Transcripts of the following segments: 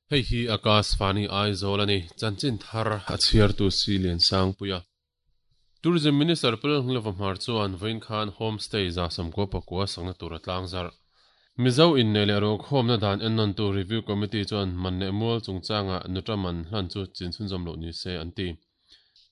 Hei hi Akashvani Aizawl a ni. Chanchin thar a chhiartu si Liansangpuia. Tourism Minister Pu Lalnghilova Hmar chuan vawiin khan Homestay 99 sakna tur a tlangzarh. Mizo inneih leh ruakhawmna dan ennawntu Review Committee chuan man leh mual chungchanga nuta man hlan chu chin chhunzawm loh ni se an ti.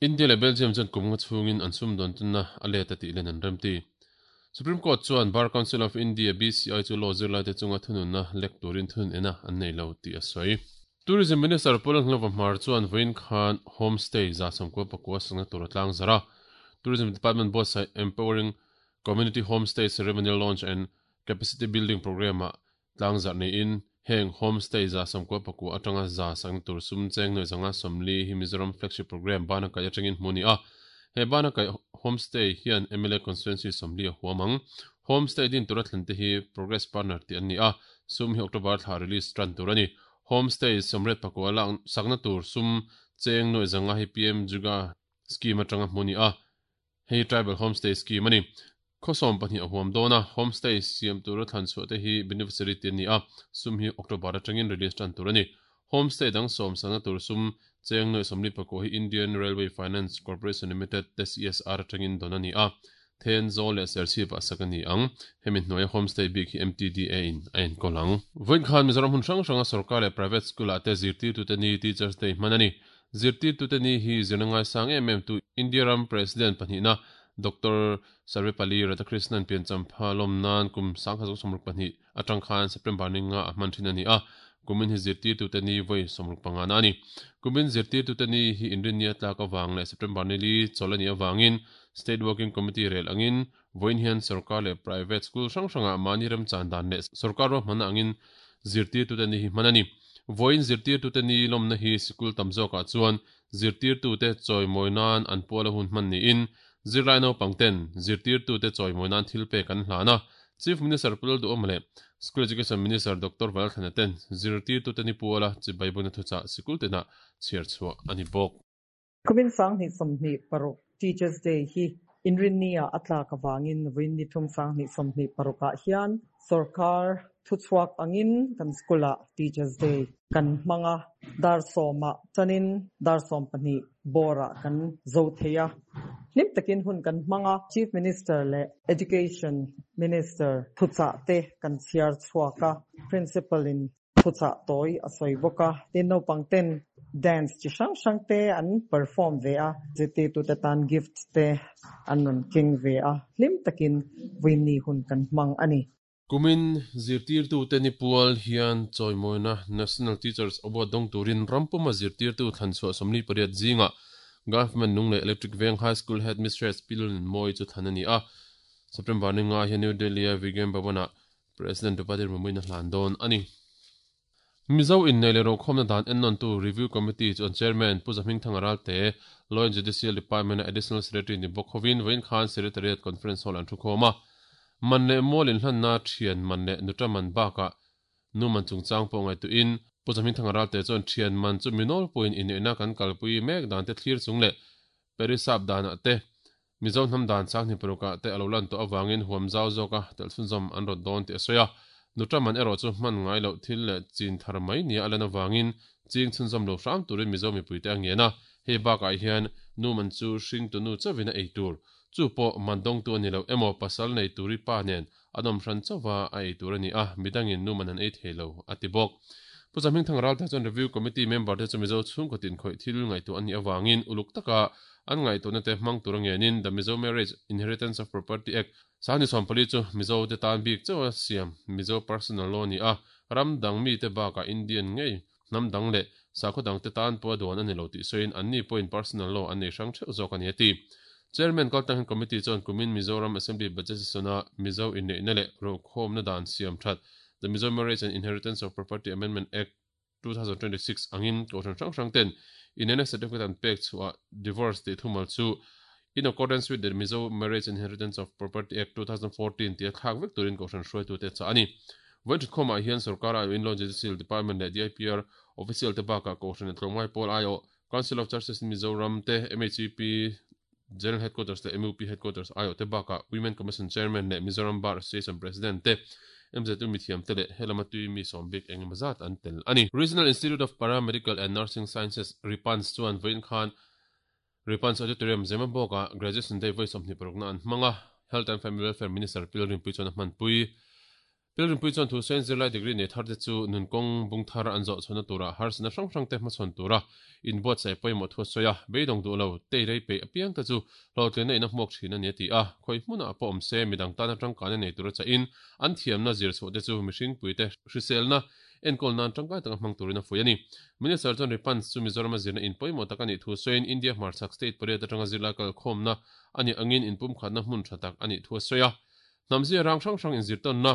India leh Belgium chuan kum nga chhungin an sumdawn tunna a let a tih len an remti. Supreme Court chuan Bar Council of India, BCI, chu law zirlaite chunga thununna lek turin thun ena an nei lo tih a sawi. Tourism Minister Pu Lalhnglova Hmar chuan vawiin khan Homestay 99 sakna tur a tlangzarh a. Tourism Department buatsaih Empowering Community Homestay Ceremonial Launch and Capacity Building Programme-ah Tlangzarh niin heng Homestay 99 atanga za sakna tur sum cheng nuai 140 hi Mizoram Flagship Programme bana kaih atangin hmu a ni a. He bana kaih Homestay hian mla Constituency 40 a huam ang. Homestay din tura thlen te hi Progress Partner tih an ni a, sum hi October thla release tan tur a ni. Homestay 99 lak sakna tur sum cheng nuai 500 hi PM Juga Scheme atanga hmu a ni a. Hei Tribal Homestay Scheme a ni. Khaw 12 a huam dawn a, Homestay siam tura thlan chhuah te hi beneficiary te an ni a, sum hi October atangin release tan tur a ni. Homestay dang sawm sangna tur sum cheng nuai 44 hi Indian Railway Finance Corporation Limited te CSR atangin dawn a ni a, Then, Zawl leh Serchhip ah sak a ni ang. Hemi hnuaia Homestay bik hi MTDA in a enkawl ang. Vawiin khan Mizoram hmun hrang hranga sorkar leh private school ah te zirtirtute ni Teachers Day hman a ni. Zirtirtute ni hi zirna ngaisang em em tu India ram President pahnihna Doctor Sarvepalli Radhakrishnan pianchampha lawm nan kum 1962 atang khan September ni nga a hman thin a ni a, kumin hi zirtirtute ni vawi 65 na a ni. Kumin zirtirtute ni hi inrinni a tlak avang leh September ni li chawlh a nih avangin State Working Committee rel angin vawiin hian sorkar leh private school hrang hrangah mahni remchan dan leh sorkar ruahmanna angin zirtirtute ni hi hman a ni. Vawiin zirtirtute ni lawmna hi sikul tam zawkah chuan zirtirtute chawimawi nan an pual a hun hman niin zirlai naupang ten zirtirtute chawimawi nan thil pek an hlan a. Chief Minister Pu Lalduhawma leh School Education Minister Doctor Valthlana ten zirtirtute ni puala chibai bawina thuchah sikul tinah chhiar chhuah a ni bawk. Kumin 2026 Teachers Day hi Inrinni-ah a tlak avangin vawiin ni thum 2026 ah hian sorkar thuchhuak angin kan school-ah Teachers Day kan hmang a, dar sawmah tanin dar 12 bawrah kan zo thei a, hlim takin hun kan hmang a, Chief Minister leh Education Minister thuchah te kan chhiar chhuak a, Principal-in Thuchah tawi a sawi bawk a, tin naupang ten dance chi hrang hrang te an perform ve a, zirtirtute tan gift te an rawn keng ve a, hlim takin vawiinni hun kan hmang a ni. Kumin zirtirtute ni pual hian chawimawina National Teachers Award dawng turin rampuma zirtirtu thlanchhuah 48 zingah Government Lunglei Electric Veng High School Headmistress Pi Lalnunmawii chu thlan a ni a. September ni nga hian New Delhi-a Vigyan Bhavan-ah President Draupadi Murmu-in a hlan dawn a ni. Mizo inneih leh rokhawmna dan ennawntu Review Committee chuan Chairman Pu Zahmingthanga Ralte, Law and Judicial Department-a Additional Secretary ni bawk hovin vawiin khan Secretariat Conference Hall an thukhawm a. Man leh mual inhlanna thian man leh nuta man bakah nu man chungchang pawh ngaihtuahin Pu Zahmingthanga Ralte chuan thian man chu mi nawlpuiin inneihna kan kalpui mek dante thlir chung leh Perisap danah te Mizo hnam dan 2006 ah te a lo lan tawh avangin huam zau zawka telh chhunzawm an rawt dawn tih a sawi a. Nuta man erawh chu hman ngai loh thil leh chin thar mai nia a lan avangin ching chhunzawm lo hram turin Mizo mipuite a ngen a. Hei bakah hian nu man chu hringtu nu chauhin a ei tur. Chu pawh man dawngtu a ni lo emaw pasal nei turi pa nen an awm hran chauha a ei tur a ni a, midangin nu man an ei thei lo, a ti bawk. Pu Zahmingthang Ralta chuan Review Committee member te chu Mizo chhungkaw tinkhawih thil ngaihtuah an nih avangin uluk taka an ngaihtuahna te hmang tur a ngenin The Mizo Marriage Inheritance of Property Act 2014 chu Mizo te tan bik chauh a siam Mizo Personal Law a ni a, ram dang mite bakah Indian ngei hnam dang leh sakhaw dang te tan pawh a duan a ni lo tih sawiin anni pawhin Personal Law an nei hrang theuh zawk a ni a ti. Chairman kaltangin Committee chuan kumin Mizoram Assembly Budget Session-a Mizo inneihna leh rokhawmna dan siam that The Mizo Marriage and Inheritance of Property Amendment Act, 2026 angin kohhran hrang hrang ten inneihna certificate an pek chhuah divorce tih thumal chu In accordance with the Mizo Marriage and Inheritance of Property Act, 2014 tih a thlak vek turin kohhran hruaitute a chah a ni. Vawiin thutkhawmah hian sorkar aiawh in Law Judicial Department leh DIPR official te bakah kohhran a tlawmngai pawl aiawh Council of Churches in Mizoram te, MHEP, General Headquarters leh MUP Headquarters aiawh te bakah Women Commission Chairman leh Mizoram Bar Association President te, MZU mithiam te leh helama tui mi sawm bik engemaw zat an tel a ni. Regional Institute of Paramedical and Nursing Sciences, RIPANS, chuan vawiin khan RIPANS Auditorium Zemabawk-ah Graduation Day vawi 26 na an hmang a, Health and Family Welfare Minister Pi Lalrinpuii chuan a hmanpui. Pi Lalrinpuii chuan thu sawiin zirlai degree nei thar te chu nunkawng bung thar an zawh chhuahna turah harsatna hrang hrang te hmachhawn tura inbuatsaih pawimawh thu a sawi a, beidawng duh lo, tei rei peih apiang te chu hlawhtlinna in a hmuak thin a ni a ti a, khawi hmunah pawh awm se midang tana tangkaina nei tura chahin an thiamna zir chhuah te chu mihringpui te hriselna enkawl nan tangkai taka hmang turin a fuih a ni. Minister chuan Ripans chu Mizorama zirna in pawimawh tak a nih thu sawiin India hmarchhak state pariat atanga zirlai kalkhawmna a nih angin inpumkhatna hmun tha tak a nih thu a sawi a. Hnamzia rang hrang hrang inzirtawnna,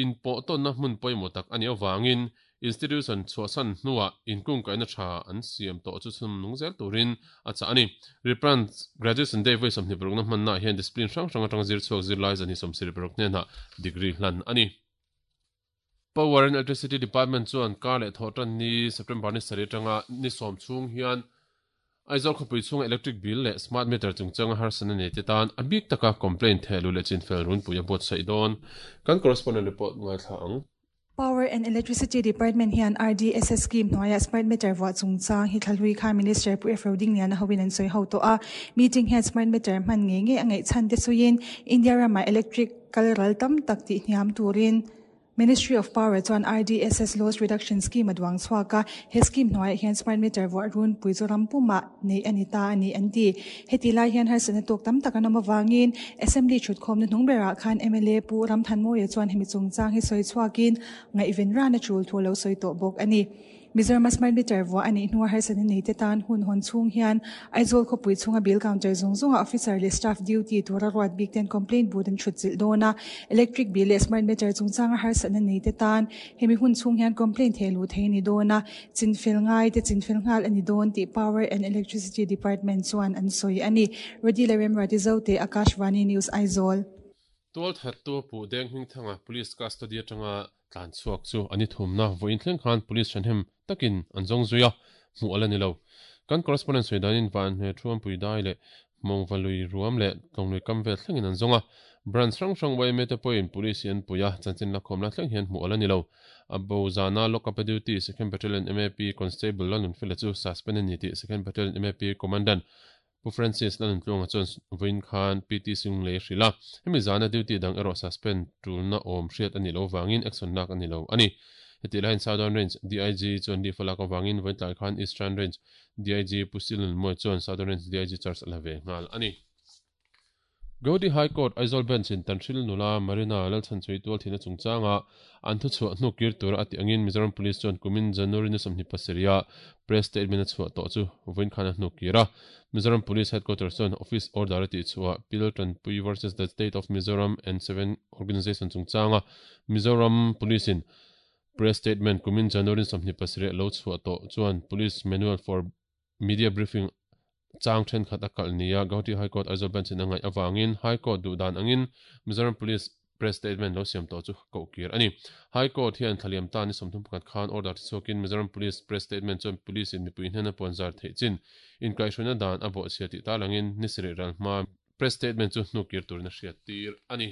inpawhtawnna hmun pawimawh tak a nih avangin institution chhuahsan hnuah inkungkaihna tha an siam tawh chu chhun nung zel turin a chah a ni. Reprans Graduation Day vawi 26 na hmannaah hian discipline hrang hrang atanga zir chhuak zirlai zan hi 76 hnenah degree hlan a ni. Power and Electricity Department chuan kar leh thawh tan ni September ni sarih atanga ni sawm chhung hian Aizawl khawpui chhunga electric bill leh smart meter chungchanga harsatna nei te tan a bik taka complaint theh luh leh chinfel runpui a buatsaih dawn. Kan correspondent report ngaithla ang. Power and Electricity Department hian RDSS scheme hnuaia smart meter vuah chungchang hi thlalui khan Minister Pu Efro Dingliana hoin an sawi ho tawh a. Meeting hian smart meter hman ngei ngei a ngaih chhan te sawiin India ramah electric kal ral tam tak tih hniam turin Ministry of Power chuan RDSS Loss Reduction Scheme a duang chhuak a, he scheme hnuaiah hian smart meter vuah runpui chu ram pumah neih a ni ta a ni an ti. Heti lai hian harsatna tawk tam tak an awm avangin Assembly thutkhawmna hnung berah khan mla Pu Ramthanmawia chuan hemi chungchang hi sawi chhuakin ngaihven ran a tul thu a lo sawi tawh bawk a ni. Mizorama smart meter vuah a nih hnua harsatna nei te tan hun hawn chhung hian Aizawl khawpui chhunga bill counter zawng zawnga officer leh staff duty tura ruat bik ten complaint booth an thut chilh dawn a, electric bill leh smart meter chungchanga harsatna nei te tan hemi hun chhung hian complaint theh luh thei a ni dawn a, chinfel ngai te chinfel nghal a ni dawn tih Power and Electricity Department chuan an sawi a ni. Rodila Remruati Zote, Akashvani News, Aizawl. Tualthattu Pu Deng Hmingthanga Police custody atanga Tlan chhuak chu an i thumna vawiin thleng khan police ṭhahnem takin an zawng zui a, hmuh a la ni lo. Kan correspondent sawi danin van hme Thuampui dai leh Mawngva lui ruam leh Tlawnglui kam vel thlengin an zawng a. Branch hrang hrang yma te pawhin police hi an pui a, chanchin lakhawm la thleng hian hmuh a la ni lo. A bo zana lock-up a duty Second Battalion MAP Constable Lalnunfela chu suspend a ni tih Second Battalion MAP Commandant Pu Francis Lalnuntluanga chuan vawiin khan PT Singlei a hrilh a, hemi zana duty dang erawh suspend tulna awm hriat a nih loh vangin action lak a ni lo a ni. Hetih laiin Southern Range DIG chuan leave a lak avangin vawiin tlai khan Eastern Range DIG Pu Silnunmuai chuan Southern Range DIG charge a la ve nghal a ni. Gauhati High Court Aizawl Bench in Tanhril nula Marina Lalchhanchhui tualthihna chungchanga an thuchhuah hnuk kir tura a tih angin Mizoram Police chuan kumin January ni 27 ah press statement a chhuah tawh chu vawiin khan a hnuk kir a. Mizoram Police Headquarters chuan Office Order a tihchhuah Pil Tanpui versus the State of Mizoram and Seven Organisation chungchanga Mizoram Police in press statement kumin January ni 27 a lo chhuah tawh chuan Police Manual for Media briefing chang thenkhat a kalh nia Gauhati High Court Aizawl Bench in a ngaih avangin High Court duh dan angin Mizoram Police press statement lo siam tawh chu koh kir a ni. High Court hian thlaliam ta ni 31 khan order ti chhuakin Mizoram Police press statement chuan Police in mipui hnena puanzar theih chin inkaihhruaina dan a bawhchhia tih tarlangin ni sarih ral hma press statement chu hnu kir turin a hriat tir a ni.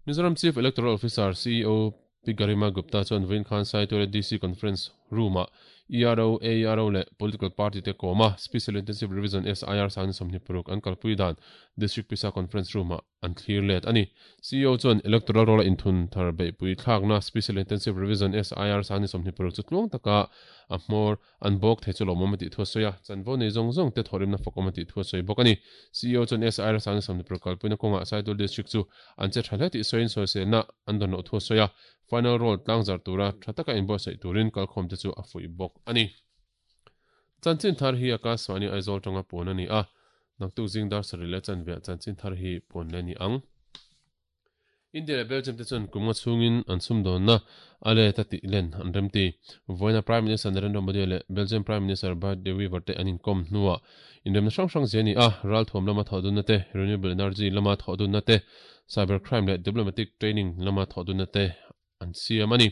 Mizoram Chief Electoral Officer, CEO, Pi Garima Gupta chuan vawiin khan Saitual DC Conference Room-ah ERO, AERO leh Political Party te kawm a, Special Intensive Revision, SIR, sangni 26 an kalpui dan District Pisa Conference Room-ah an thlir let a ni. CEO chuan Electoral Roll-a inthun thar beihpui thlakna Special Intensive Revision, SIR, sangni 26 chu tluang taka a hmawr An bawk thei chu lawmawm a tih thu a sawi a, chanvo nei zawng zawng te thawhrimna fakawm a tih thu a sawi bawk a ni. CEO chuan SIR Sangni Samnipur kalpuina kawngah Saidul District chu an che tha hle tih sawiin sawiselna an dawn loh thu a sawi a, final roll tlangzar tura tha taka inbuatsaih turin kalkhawm te chu a fuih bawk a ni. Chanchin thar hi Akashvani Aizawl tanga puan a ni a, naktuk zing dar sarih leh chanveah chanchin thar hi puan leh a ni ang. India leh Belgium te chuan kum nga chhungin an sumdawnna a let a tih len an remti. Vawiina Prime Minister Narendra Modi leh Belgium Prime Minister Bart De Wever te an inkawm hnuah inremna hrang hrang zia a ni a, ralthuam lama thawhdunna te, renewable energy lama thawhdunna te, cyber crime leh diplomatic training lama thawhdunna te an siam a ni.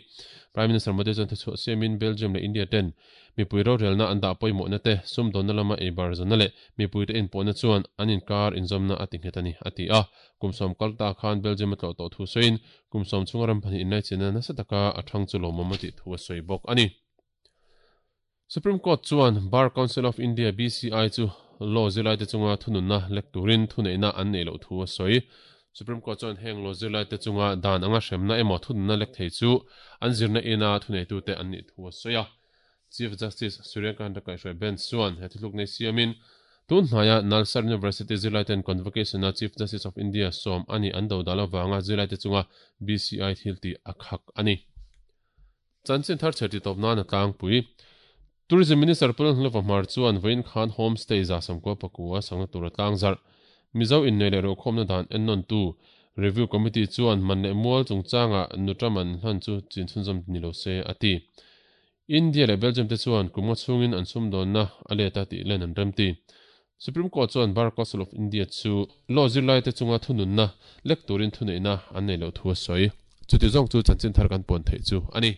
Prime Minister Modi chuan thuchhuah siamin Belgium leh India ten mipui rorelna an dah pawimawhna te, sumdawnna lama eibar zawnna leh mipuite inpawhna chuan an inkar inzawmna a ti nghet a ni, a ti a. Kum sawm kal ta khan Belgium a tlawh tawh thu sawiin kum sawm chhunga ram pahnih inlaichina nasa taka a thang chu lawmawm a tih thu a sawi bawk a ni. Supreme Court chuan Bar Council of India, BCI, chu law zirlaite chunga thununna lek turin thuneihna an neih loh thu a sawi. Supreme Court chuan heng law zirlaite chunga dan anga hremna emaw thununna lek thei chu an zirna ina thuneitute an nih thu a sawi a. Chief Justice Surya Kant kaihhruai bench chuan he thuthluk nei siamin tun hnaia Nalsar University zirlaiten convocation-a Chief Justice of India sawm a nih an dodal avanga zirlaite chunga BCI thiltih a khak a ni. Chanchin thar chher titawp nan a tlangpui. Tourism Minister Pu Lalhnulova Hmar chuan vawiin khan Home Stay 190 pakua sangna tur a tlangzarh. Mizo innei leh ruahkhawmna dan ennawntu Review Committee chuan man leh mual chungchangah nuta man hlan chu chin chhunzawm ni lo se a ti. India leh Belgium te chuan kum nga chhungin an sumdawnna a let a tih len an remti. Supreme Court chuan Bar Council of India chu law zirlaite chunga thununna lek turin thuneihna an nei loh thu a sawi. Chuti zawng chu chanchin thar kan puan theih chu a ni.